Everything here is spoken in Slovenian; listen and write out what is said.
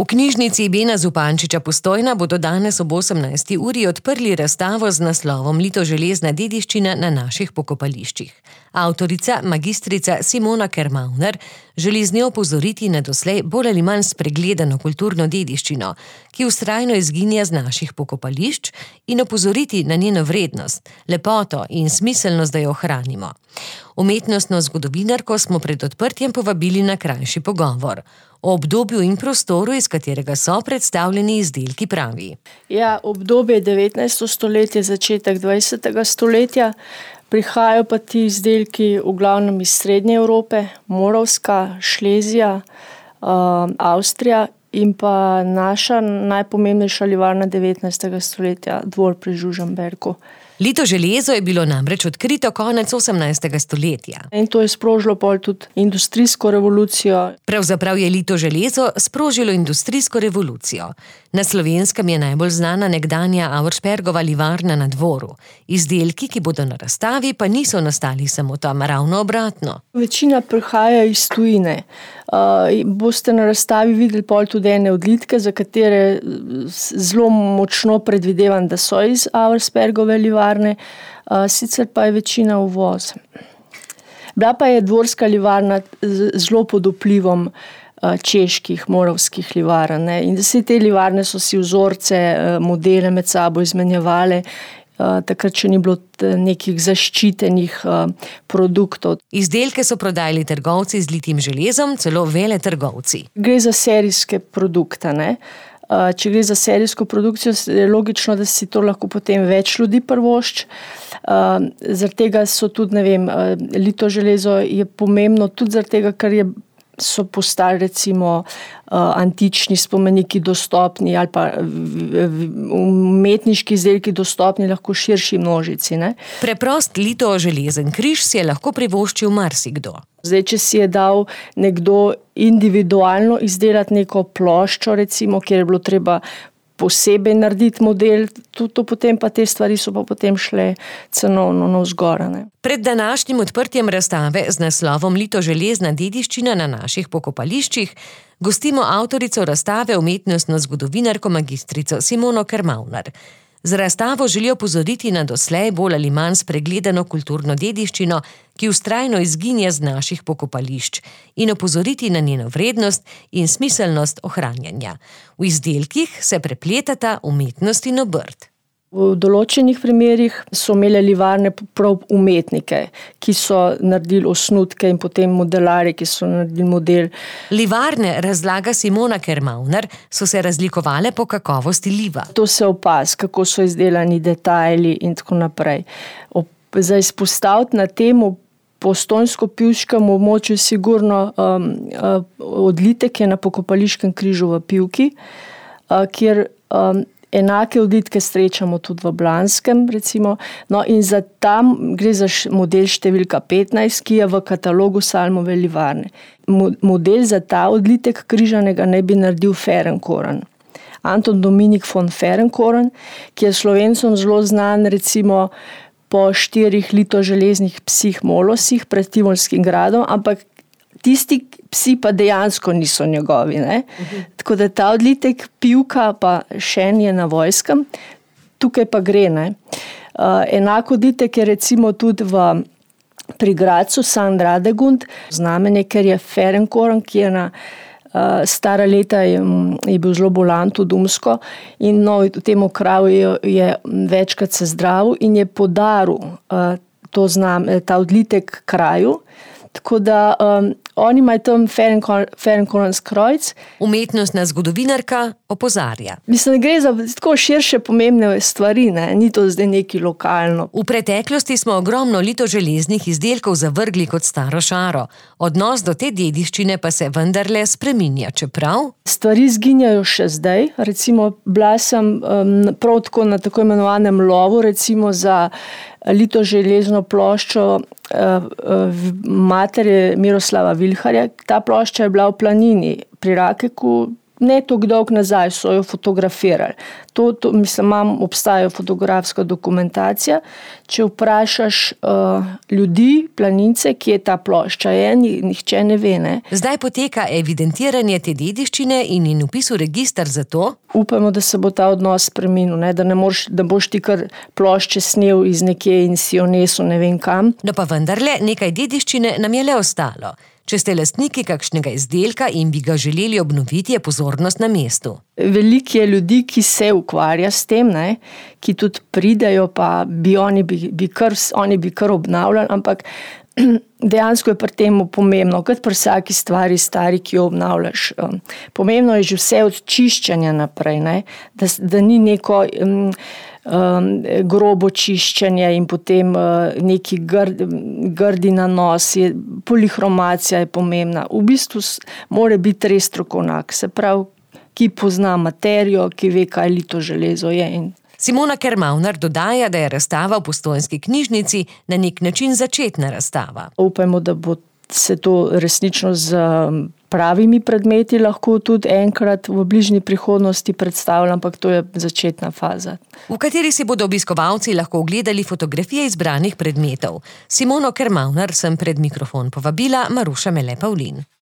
V knjižnici Bena Zupančiča Postojna bodo danes ob 18. uri odprli razstavo z naslovom Litoželezna dediščina na naših pokopališčih. Avtorica, magistrica Simona Kermauner, želi z njo opozoriti na doslej bolj ali manj spregledano kulturno dediščino, ki vztrajno izginja z naših pokopališč, in opozoriti na njeno vrednost, lepoto in smiselnost, da jo ohranimo. Umetnostno zgodovinarko smo pred odprtjem povabili na krajši pogovor. O obdobju in prostoru, iz katerega so predstavljeni izdelki, pravi. Ja, obdobje 19. stoletje, začetek 20. stoletja. Prihajajo pa ti izdelki v glavnem iz Srednje Evrope, Moravska, Šlezija, Avstrija in pa naša najpomembnejša livarna 19. stoletja, Dvor pri Žužemberku. Litoželezo je bilo namreč odkrito konec 18. stoletja. In to je sprožilo pol tudi industrijsko revolucijo. Pravzaprav je Litoželezo sprožilo industrijsko revolucijo. Na Slovenskem je najbolj znana nekdanja Auerspergova livarna na Dvoru. Izdelki, ki bodo na razstavi, pa niso nastali samo tam, ravno obratno. Večina prihaja iz tujine. Boste na razstavi videli pol tudi ene odlitke, za katere zelo močno predvidevam, da so iz Auerspergove livarne, sicer pa je večina uvoz. Bila pa je dvorska livarna zelo pod vplivom čeških, moravskih livarn. In vse te livarne so si vzorce, modele med sabo izmenjevale, takrat še ni bilo nekih zaščitenih produktov. Izdelke so prodajali trgovci z litim železom, celo veletrgovci. Gre za serijske produkte, ne? Če gre za serijsko produkcijo, je logično, da si to lahko potem več ljudi privošči. Zaradi tega so tudi, Litoželezo je pomembno tudi zaradi tega, ker so postali recimo antični spomeniki dostopni ali pa umetniški izdelki dostopni lahko širši množici. Ne? Preprost litoželezen križ si je lahko privoščil marsikdo. Zdaj, če si je dal nekdo individualno izdelati neko ploščo, recimo, kjer je bilo treba posebej narediti model, to potem pa te stvari so pa potem šle cenovno navzgor. Pred današnjim odprtjem razstave z naslovom Litoželezna dediščina na naših pokopališčih gostimo avtorico razstave, umetnostno zgodovinarko magistrico Simono Kermauner. Z razstavo želijo opozoriti na doslej bolj ali manj spregledano kulturno dediščino, ki vztrajno izginja z naših pokopališč, in opozoriti na njeno vrednost in smiselnost ohranjanja. V izdelkih se prepletata umetnost in obrt. V določenih primerih so imele livarne prav umetnike, ki so naredili osnutke, in potem modelarji, ki so naredili model. Livarne, razlaga Simona Kermauner, so se razlikovale po kakovosti liva. To se opazi, kako so izdelani detajli in tako naprej. Za izpostaviti na temu postojnsko-pivškem območju sigurno odlitek je na pokopališkem križu v Pivki, kjer enake odlitke srečamo tudi v Blanskem, recimo. No, in za tam gre za model številka 15, ki je v katalogu Salmove livarne. Model za ta odlitek križanega naj bi naredil Ferenkoren. Anton Dominik von Ferenkoren, ki je Slovencem zelo znan, recimo po 4 litoželeznih psih molosih pred Tivolskim gradom, ampak tisti psi pa dejansko niso njegovi. Ne? Tako da ta odlitek Pivka pa Šen je na Vojskem, tukaj pa gre. Ne? Enako odlitek je recimo tudi pri Gradcu San Radegund, znamenje, ker je Ferenkoren, ki je na stara leta je bil zelo bolan, tudi umsko, in v tem kraju je večkrat se zdravil in je podaril ta odlitek kraju. Tako da oni imajo tam Ferenkorenski krojc. Umetnostna zgodovinarka opozarja. Mislim, da gre za tako širše pomembne stvari, ne? Ni to zdaj neki lokalno. V preteklosti smo ogromno litoželeznih izdelkov zavrgli kot staro šaro. Odnos do te dediščine pa se vendarle spreminja, čeprav stvari izginjajo še zdaj. Recimo, bila sem prav tako na tako imenovanem lovu, recimo za litoželezno ploščo matere Miroslava Vilharja. Ta plošča je bila v planini pri Rakeku, ne toliko dolgo nazaj so jo fotografirali. Mislim, obstaja fotografska dokumentacija. Če vprašaš ljudi, planince, kje ta plošča je, nihče ne ve. Ne? Zdaj poteka evidentiranje te dediščine in vpis v register za to? Upamo, da se bo ta odnos spremenil, da boš ti kar plošče snel iz nekje in si jo nesel ne vem kam. No pa vendarle, nekaj dediščine nam je le ostalo. Če ste lastniki kakšnega izdelka in bi ga želeli obnoviti, je pozornost na mestu. Veliko je ljudi, ki se ukvarja s tem, ne, ki tudi pridejo, pa oni bi kar obnavljali, ampak dejansko je pri tem pomembno, kot pri vsaki stvari stari, ki jo obnavljaš. Pomembno je že vse od čiščenja naprej, ne, da ni neko grobo čiščenje in potem neki grdi nanos, polihromacija je pomembna. V bistvu mora biti res strokovnjak, se pravi, ki pozna materijo, ki ve, kaj lito železo je. Simona Kermaunar dodaja, da je razstava v Postojnski knjižnici na nek način začetna razstava. Upajmo, da bo se to resnično z pravimi predmeti lahko tudi enkrat v bližnji prihodnosti predstavljalo, ampak to je začetna faza. V kateri si bodo obiskovalci lahko ogledali fotografije izbranih predmetov. Simono Kermaunar sem pred mikrofon povabila Maruša Mele Pavlin.